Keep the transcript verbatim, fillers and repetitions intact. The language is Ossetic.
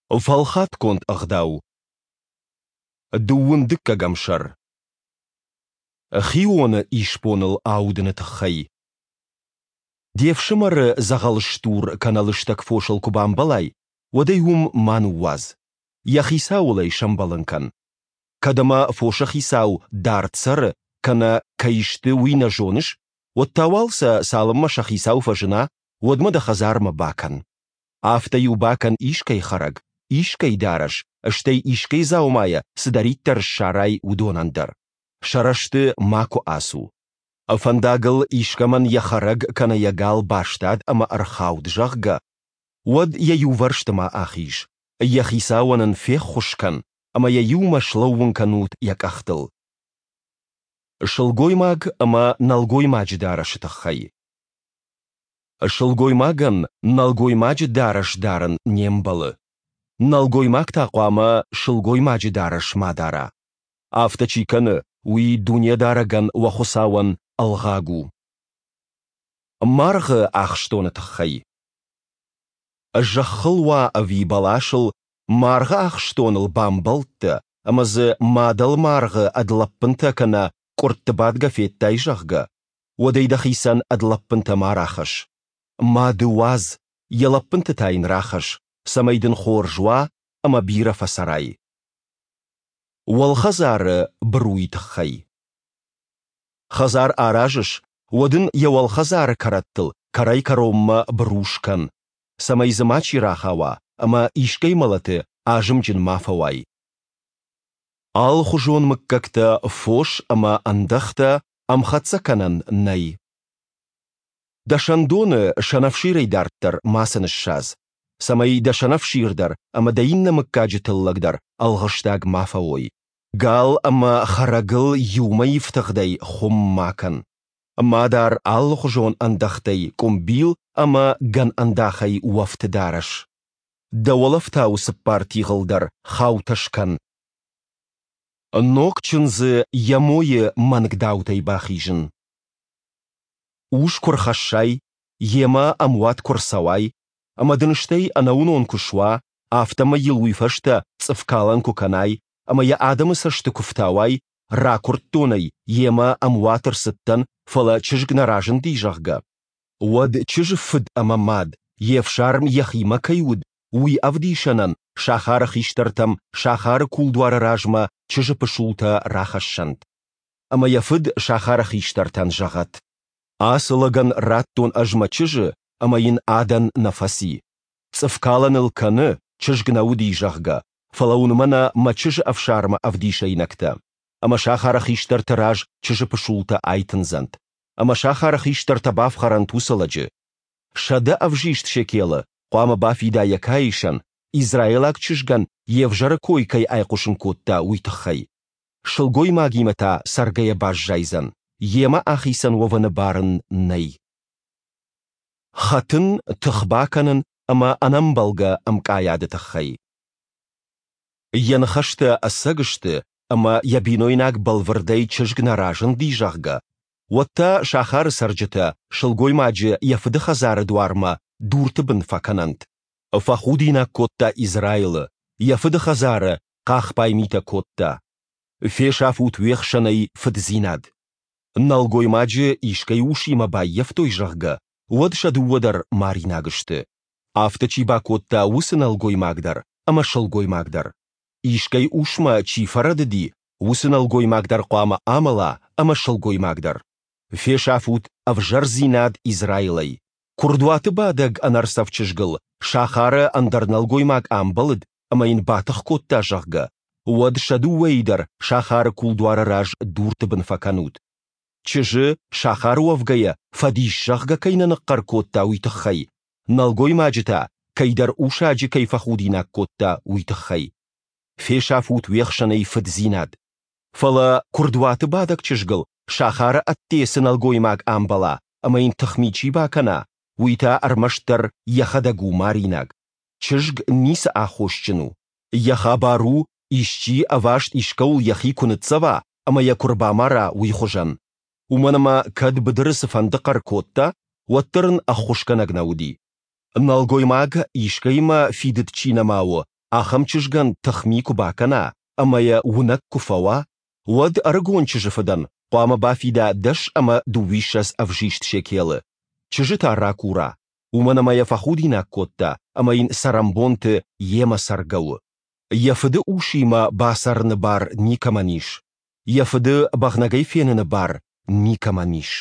Фӕлхатгонд ӕгъдау. Дыууын дыккӕгӕм сӕр. Хионы исбоныл аудыны тыххӕй. Де фсымӕры дзӕгъӕл стур кӕнӕ лыстӕг фосыл куы бамбӕлай, уӕд ӕй уым ма ныууадз, йӕ хицауыл ӕй сӕмбӕлын кӕн. Кӕд ӕмӕ фосы хицау дард цӕры кӕнӕ кӕй сты, уый нӕ зоныс, уӕд та уал сӕ цалынмӕ сӕ хицау фӕзына, уӕдмӕ дӕ хӕдзармӕ бакӕн. Афтӕ-иу бакӕн искӕй хӕрӕг, искӕй дарӕс, стӕй искӕй дзаумайӕ цыдӕриддӕр ссарай, уыдонӕн дӕр. Сӕ рӕзты макуы ацу. Фӕндагыл искӕмӕн йӕ хӕрӕг кӕнӕ йӕ гал бастад ӕмӕ ӕрхауд, зӕгъгӕ, уӕд йӕ иувӕрсты ма ахиз. Йӕ хицауӕн ын феххуыс кӕн ӕмӕ йӕ иумӕ слӕууын кӕнут йӕ къӕхтыл. Сылгоймаг ӕмӕ нӕлгоймаджы дарӕсы тыххӕй. Сылгоймагӕн нӕлгоймаджы дарӕс дарын не мбӕлы. Нӕлгоймаг та хъуамӕ сылгоймаджы дарӕс ма дара. Афтӕ чи кӕны, уый Дунедарӕгӕн, уӕ Хуыцауӕн, ӕлгъаг у. Маргъы ахстоны тыххӕй. Зӕххыл уа ӕви бӕласыл, маргъы ахстоныл бамбӕлдтӕ ӕмӕ дзы мадӕл маргъы ӕд лӕппынтӕ кӕнӕ къуыртты бадгӕ федтай, зӕгъгӕ, уӕд ӕй дӕхицӕн ӕд лӕппынтӕ ма рахӕсс. Мады уадз, йӕ лӕппынты та йын рахӕсс, цӕмӕй дын хорз уа ӕмӕ бирӕ фӕцӕрай. Уӕлхӕдзары быруйы тыххӕй. Хӕдзар аразыс, уӕд ын йӕ уӕлхӕдзары кӕрӕттыл кӕрӕй-кӕронмӕ быру скӕн, цӕмӕй дзы мачи рахауа ӕмӕ искӕй мӕлӕты азымджын ма фӕуай. Алыхуызон мыггӕгтӕ фос ӕмӕ ӕндӕхтӕ ӕмхӕццӕ кӕнӕн нӕй. Дӕ сӕндоны сӕнӕфсирӕй дарддӕр мацы ныссадз, цӕмӕй дӕ сӕнӕфсир дӕр ӕмӕ дӕ иннӕ мыггаджы тыллӕг дӕр ӕлгъыстаг ма фӕуой. Гал ӕмӕ хӕрӕгыл иумӕ ифтыгъдӕй хуым ма кӕн. Ма дар алыхуызон ӕндӕхтӕй къуымбил ӕмӕ гӕн ӕндахӕй уӕфт дарӕс. Дӕ уӕлӕфтауы цыппар тигъыл дӕр хаутӕ скӕн. Ног чындзы йӕ мойы мӕнгдаутӕй бахизын. Ус куы рхӕссай, йемӕ ӕмуат куы рцӕуай, ӕмӕ дын стӕй ӕнӕуынон куы суа, афтӕмӕй йыл уый фӕстӕ цъыфкалӕн куы кӕнай ӕмӕ йӕ адӕмы цӕсты куы фтауай, ракуырдтон ӕй, йемӕ ӕмуат ӕрцыдтӕн, фӕлӕ чызг нӕ разынди, зӕгъгӕ, уӕд чызджы фыд ӕмӕ мад, йе фсарм йӕхимӕ кӕй уыд, уый ӕвдисӕнӕн сахары хистӕртӕм сахары кулдуары размӕ чызджы пысултӕ рахӕссӕнт. Ӕмӕ йӕ фыд сахары хистӕртӕн зӕгъӕд: Ацы лӕгӕн радтон ӕз мӕ чызджы, ӕмӕ йын адӕн нӕ фӕци. Цъыфкалӕн ыл кӕны, чызг нӕ уыди, зӕгъгӕ, фӕлӕ уын мӕнӕ мӕ чызджы ӕфсармы ӕвдисӕйнӕгтӕ. Ӕмӕ сахары хистӕрты раз чызджы пысултӕ айтындзӕнт. Ӕмӕ сахары хистӕртӕ бафхӕрӕнт уыцы лӕджы. Сӕдӕ ӕвзист шекелы хъуамӕ бафида йӕ каисӕн, израилаг чызгӕн йе взӕры кой кӕй айхъуысын кодта, уый тыххӕй. Сылгоймагимӕ та цӕргӕйӕ баззайдзӕн, йемӕ ахицӕн уӕвыны бар ын нӕй. Хӕтын, тых бакӕнын ӕмӕ ӕнӕмбӕлгӕ ӕмкъайады тыххӕй. Йӕ ныхӕстӕ ӕцӕг сты ӕмӕ йӕ бинойнаг бӕлвырдӕй чызг нӕ разынди, зӕгъгӕ, уӕд та сахары цӕрджытӕ сылгоймаджы йӕ фыды хӕдзары дуармӕ дурты бын фӕкӕнӕнт. Фӕхудинаг кодта Израилы, йӕ фыды хӕдзары хъахбай митӕ кодта. Фесафут уе хсӕнӕй фыддзинад. Нӕлгоймаджы искӕй усимӕ баййӕфтой, зӕгъгӕ, уӕд сӕ дыууӕ дӕр маринаг сты. Афтӕ чи бакодта, уыцы нӕлгоймаг дӕр ӕмӕ сылгоймаг дӕр. Искӕй усмӕ чи фӕрӕдыди, уыцы нӕлгоймаг дӕр хъуамӕ амӕла ӕмӕ сылгоймаг дӕр. Фесафут ӕвзӕрдзинад Израилӕй. Куырдуаты бадӕг ӕнӕрцӕф чызгыл сахары ӕндӕр нӕлгоймаг амбӕлыд ӕмӕ йын батых кодта, зӕгъгӕ, уӕд сӕ дыууӕйы дӕр сахары кулдуары раз дурты бын фӕкӕнут. Чызджы, сахары уӕвгӕйӕ, фӕдис, зӕгъгӕ, кӕй нӕ ныхъхъӕр кодта, уый тыххӕй, нӕлгоймаджы та кӕйдӕр усаджы кӕй фӕхудинаг кодта, уый тыххӕй. Фесафут уе хсӕнӕй фыддзинад. Фӕлӕ куырдуаты бадӕг чызгыл сахары ӕдде цы нӕлгоймаг амбӕла ӕмӕ йын тыхми чи бакӕна, уый та ӕрмӕстдӕр йӕхӕдӕг у маринаг. Чызг ницы аххосджын у. Йӕ хабар у, исчи ӕваст искӕуыл йӕхи куы ныццӕва ӕмӕ йӕ куы рбамара, уый хуызӕн. Уымӕн ӕмӕ кӕд быдыры цыфӕнды хъӕр кодта, уӕддӕр ын ӕххуысгӕнӕг нӕ уыди. Нӕлгоймаг, искӕимӕ фидыд чи нӕма у, ахӕм чызгӕн тыхми куы бакӕна ӕмӕ йӕ уынӕг куы фӕуа, уӕд ӕрыгон чызджы фыдӕн хъуамӕ бафида дӕс ӕмӕ дыууиссӕдз ӕвзист шекелы, чызджы та ракура, уымӕн ӕмӕ йӕ фӕхудинаг кодта ӕмӕ йын цӕрӕнбонты йемӕ цӕргӕ у. Йӕ фыды усимӕ бацӕрыны бар никӕмӕн ис, йӕ фыды бӕгънӕгӕй феныны бар никӕмӕн ис.